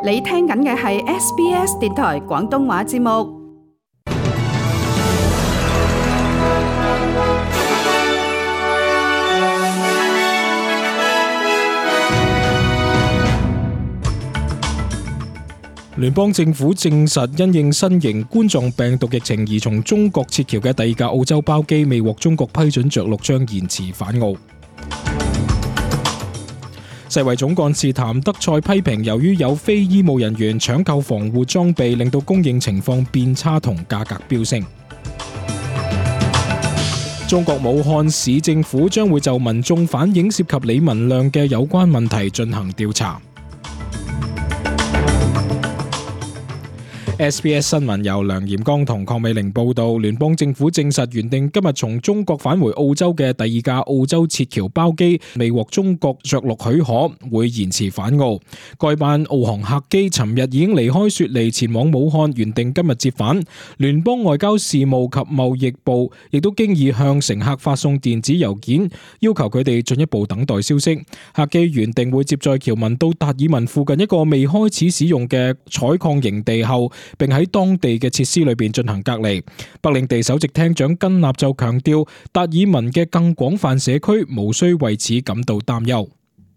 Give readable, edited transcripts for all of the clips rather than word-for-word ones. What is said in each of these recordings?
你聽緊嘅係 SBS 電台廣東話節目。聯邦政府證實，因應新型冠狀病毒疫情而從中國撤僑嘅第二架澳洲包機未獲中國批准着陸，將延遲返澳。世衛總幹事譚德塞批評，由於有非醫務人員搶購防護裝備，令到供應情況變差同價格飆升。中國武漢市政府將會就民眾反映涉及李文亮嘅有關問題進行調查。SBS 新聞由梁炎剛同鄺美玲報道，聯邦政府證實原定今日從中國返回澳洲嘅第二架澳洲撤僑包機未獲中國着陸許可，會延遲返澳。該班澳航客機尋日已經離開雪梨前往武漢，原定今日折返。聯邦外交事務及貿易部亦都經已向乘客發送電子郵件，要求佢哋進一步等待消息。客機原定會接載僑民到達爾文附近一個未開始使用嘅採礦營地後，並喺當地嘅設施裏邊進行隔離。北領地首席廳長根納就強調，達爾文嘅更廣泛社區無需為此感到擔憂。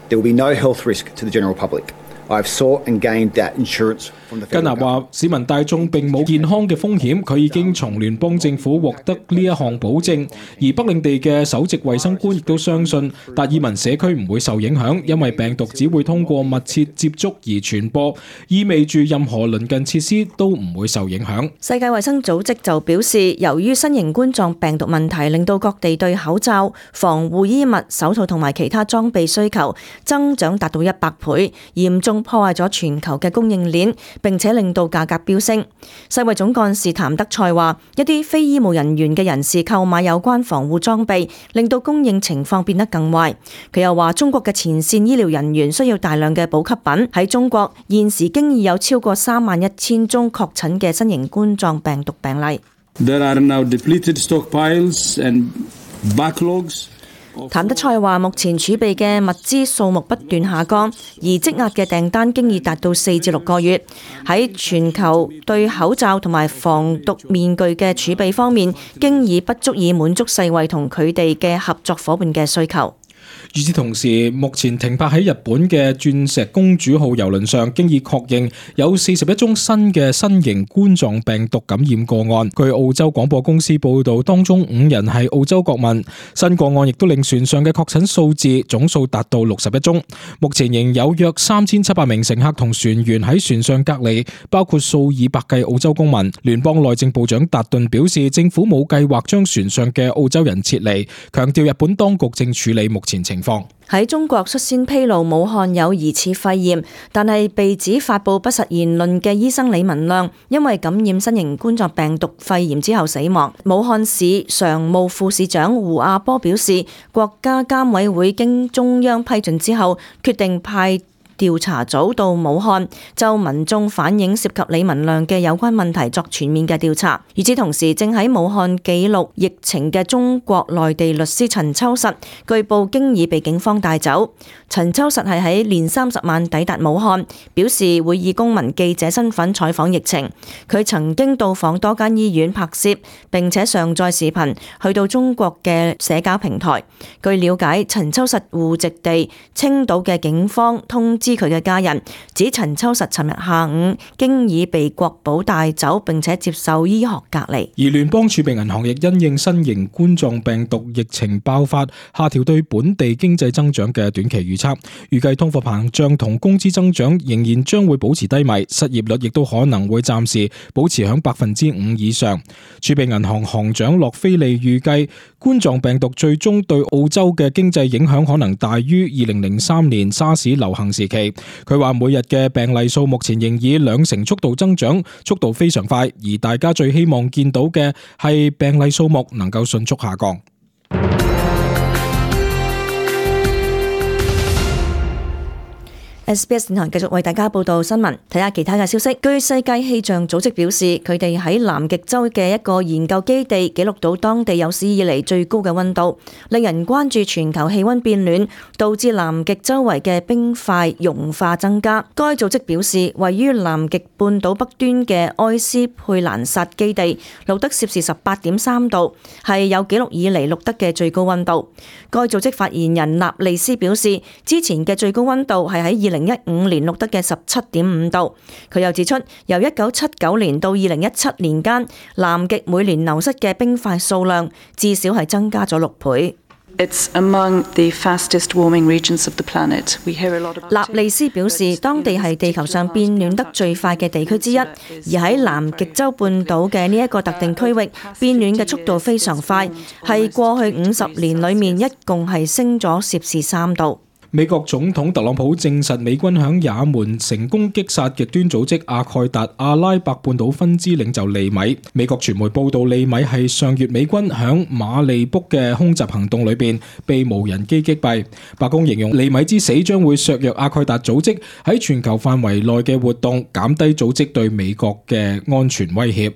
There will be no health risk to the general public. I have sought and gained that insurance from the federal government. 根納話，市民大眾並冇健康嘅風險，佢已經從聯邦政府獲得呢一項保證。而北領地嘅首席衛生官亦都相信達爾文社區唔會受影響，因為病毒只會通過密切接觸而傳播，意味住任何鄰近設施都唔會受影響。世界衛生組織就表示，由於新型冠狀病毒問題令到各地對口罩、防護衣物、手套同埋其他裝備需求增長達到100倍，嚴重破壞咗全球嘅供應鏈，並且令到價格飆升。世衛總幹事譚德塞話，一啲非醫務人員嘅人士購買有關防護裝備，令到供應情況變得更壞。佢又話，中國嘅前線醫療人員需要大量嘅補給品。喺中國現時經已有超過31000宗確診嘅新型冠狀病毒病例。There are now depleted stockpiles and backlogs. 譚德塞話，目前儲備嘅物資數目不斷下降，而積壓嘅訂單經已達到4至6個月。喺全球對口罩同埋防毒面具嘅儲備方面，經已不足以滿足世衛同佢哋嘅合作夥伴嘅需求。與此同時，目前停泊喺日本嘅鑽石公主號郵輪上，經已確認有41宗新嘅新型冠狀病毒感染個案。據澳洲廣播公司報導，當中5人係澳洲國民。新個案亦都令船上嘅確診數字總數達到61宗。目前仍有約3700名乘客同船員喺船上隔離，包括數以百計澳洲公民。聯邦內政部長達頓表示，政府冇計劃將船上嘅澳洲人撤離，強調日本當局正處理目前情況。喺中國率先披露武漢有疑似肺炎，但係被指發布不實言論嘅醫生李文亮，因為感染新型冠狀病毒肺炎之後死亡。武漢市常務副市長胡亞波表示，國家監委會經中央批准之後，決定派調查組到武漢，就民眾反映涉及李文亮嘅有關問題作全面嘅調查。與此同時，正喺武漢記錄疫情嘅中國內地律師陳秋實，據報經已被警方帶走。陳秋實係喺年30晚抵達武漢，表示會以公民記者身份採訪疫情。佢曾經到訪多間醫院拍攝，並且上載視頻去到中國嘅社交平台。據了解，陳秋實戶籍地青島嘅警方通知佢嘅家人，指陳秋實尋日下午經已被國保帶走，並且接受醫學隔離。而聯邦儲備銀行亦因應新型冠狀病毒疫情爆發，下調對本地經濟增長嘅短期預測，預計通貨膨脹同工資增長仍然將會保持低迷，失業率亦都可能會暫時保持響5%以上。儲備銀行行長洛菲利預計，冠狀病毒最終對澳洲嘅經濟影響可能大於2003年沙士流行時期。佢話每日嘅病例數目前仍以2%速度增長，速度非常快，而大家最希望見到嘅係病例數目能夠迅速下降。SBS 電台繼續為大家報道新聞，睇下其他嘅消息。據世界氣象組織表示，佢哋喺南極洲嘅一個研究基地記錄到當地有史以嚟最高嘅溫度，令人關注全球氣溫變暖導致南極周圍嘅冰塊融化增加。該組織表示，位於南極半島北端嘅埃斯佩蘭薩基地錄得攝氏18.3度，係有紀錄以嚟錄得嘅最高溫度。該組織發言人納利斯表示，之前嘅最高溫度係喺2015年錄得嘅17.5度。佢又指出，由1979年到2017年間，南極每年流失嘅冰塊數量至少係增加咗6倍。納利斯表示，當地係地球上變暖得最快嘅地區之一，而喺南極洲半島嘅呢一個特定區域，變暖嘅速度非常快，係過去50年裡面一共係升咗攝氏3度。美國總統特朗普證實美軍響也門成功擊殺極端組織阿蓋達阿拉伯半島分支領袖利米。美國傳媒報道，利米係上月美軍響馬利卜嘅空襲行動裏邊被無人機擊斃。白宮形容利米之死將會削弱阿蓋達組織喺全球範圍內嘅活動，減低組織對美國嘅安全威脅。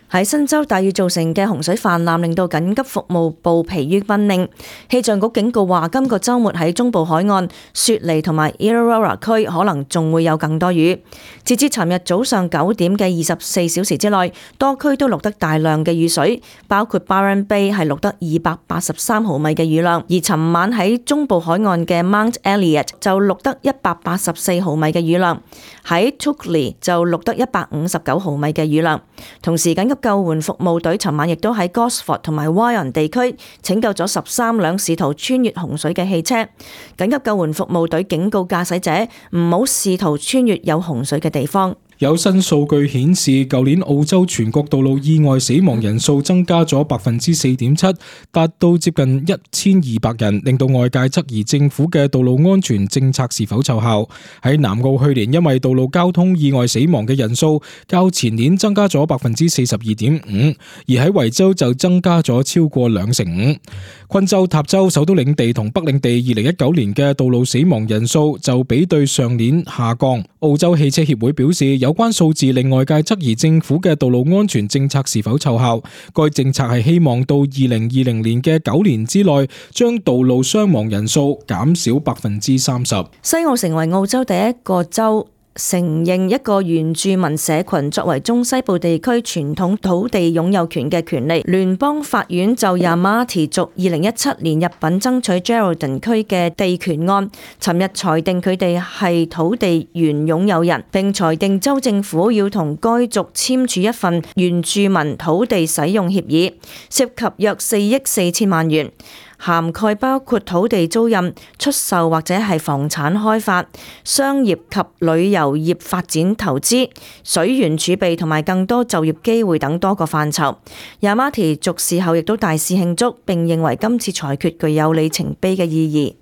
喺新州大雨造成嘅洪水泛濫，令到緊急服務部疲於奔命。氣象局警告話，今個週末喺中部海岸、雪梨同埋 Illawarra 區可能仲會有更多雨。截至尋日早上9點嘅24小時之內，多區都錄得大量嘅雨水，包括 Byron Bay 係錄得283毫米嘅雨量，而尋晚喺中部海岸嘅 Mount Elliot 就錄得184毫米嘅雨量，喺 Tukli 就錄得159毫米嘅雨量。同時緊急救援服務隊尋晚亦都喺 Gosford 同埋 Wyong 地區拯救咗13輛試圖穿越洪水嘅汽車。緊急救援服務隊警告駕駛者唔好試圖穿越有洪水嘅地方。有新數據顯示，舊年澳洲全國道路意外死亡人數增加咗 4.7%， 達到接近1200人，令到外界質疑政府嘅道路安全政策是否奏效。喺南澳去年因為道路交通意外死亡嘅人數較前年增加咗 42.5%， 而喺維州就增加咗超過25%。昆州、塔州、首都領地同北領地2019年嘅道路死亡人數就比對上年下降。澳洲汽車協會表示，有關數字令外界質疑政府嘅道路安全政策是否奏效。該政策係希望到2020年嘅9年之內，將道路傷亡人數減少 30%。西澳成為澳洲第一個州承認一個原住民社群作為中西部地區傳統土地擁有權嘅權利。聯邦法院就 Yamati 族2017年入稟爭取 Geraldton 區嘅地權案，尋日裁定佢哋係土地原擁有人，並裁定州政府要同該族簽署一份原住民土地使用協議，涉及約4億4千萬元。涵蓋包括土地租賃、出售或者係房產開發、商業及旅遊業發展投資、水源儲備同埋更多就業機會等多個範疇。Yamati 族事後亦都大肆慶祝，並認為今次裁決具有里程碑嘅意義。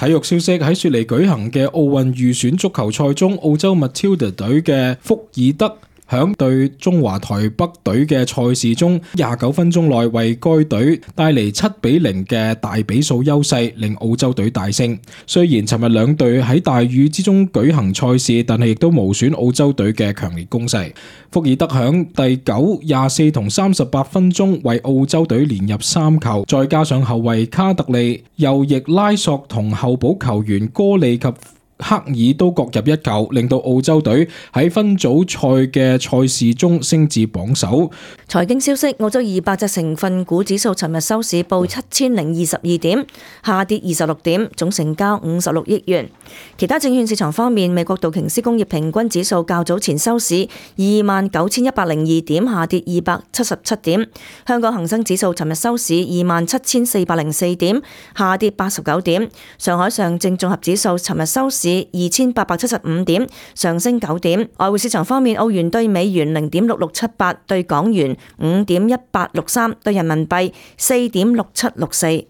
體育消息，喺雪梨舉行嘅奧運預選足球賽中，澳洲 Matilda 隊嘅福爾德響對中華台北隊嘅賽事中，29分鐘內為該隊帶嚟7-0嘅大比數優勢，令澳洲隊大勝。雖然尋日兩隊喺大雨之中舉行賽事，但係亦都無損澳洲隊嘅強烈攻勢。福爾德響第9、24同38分鐘為澳洲隊連入3球，再加上後衛卡特利、右翼拉索同候補球員哥利及克爾都各入1球，令到澳洲隊喺分組賽嘅賽事中升至榜首。財經消息，澳洲200隻成分股指數尋日收市報7022點，下跌26點，總成交56億元。其他證券市場方面，美國道瓊斯工業平均指數較早前收市29102點，下跌277點。香港恒生指數尋日收市27404點，下跌89點。上海上證綜合指數尋日收市2875點，上升9點。外匯市場方面，澳元對美元0.6678，對港元5.1863，對人民幣4.6764。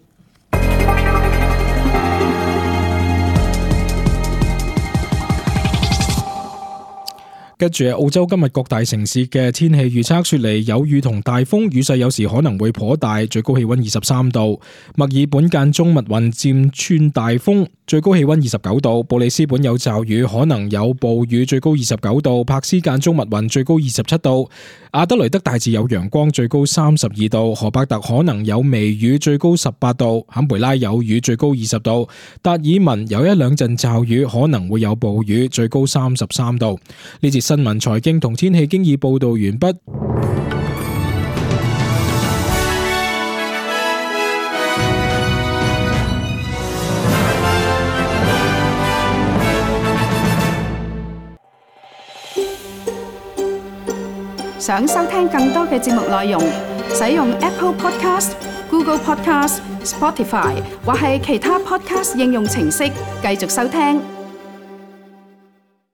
跟住澳洲今日各大城市嘅天氣預測，雪梨有雨同大風，雨勢有時可能會頗大，最高氣溫23度；墨爾本間中密雲漸轉大風，最高氣溫29度；布里斯本有驟雨，可能有暴雨，最高29度；柏斯間中密雲，最高27度；阿德雷德大致有陽光，最高32度；荷伯特可能有微雨，最高18度；坎培拉有雨，最高20度；達爾文有一兩陣驟雨，可能會有暴雨，最高33度。呢節新聞財經同天氣經已報道完畢。想收聽更多嘅節目內容，使用 Apple Podcast、Google Podcast、Spotify 或係其他 Podcast 應用程式繼續收聽。